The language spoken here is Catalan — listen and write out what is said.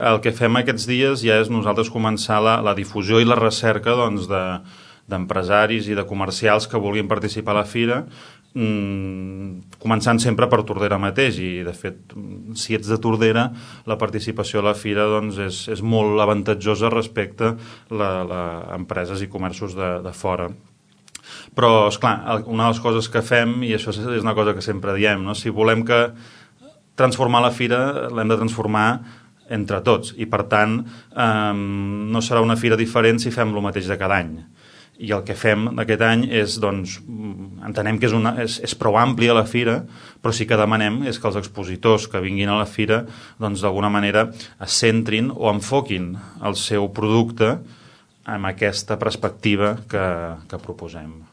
el que fem aquests dies ja és nosaltres començar la difusió i la recerca d'empresaris i de comercials que vulguin participar a la fira, començant sempre per Tordera mateix, i de fet si ets de Tordera la participació a la fira és molt avantatjosa respecte a empreses i comerços de fora. Però, esclar, una de les coses que fem, i això és una cosa que sempre diem, no? Si volem transformar la fira, l'hem de transformar entre tots, i per tant no serà una fira diferent si fem el mateix de cada any. I el que fem aquest any és, entenem que és prou àmplia la fira, però sí que demanem és que els expositors que vinguin a la fira d'alguna manera es centrin o enfoquin el seu producte amb aquesta perspectiva que proposem.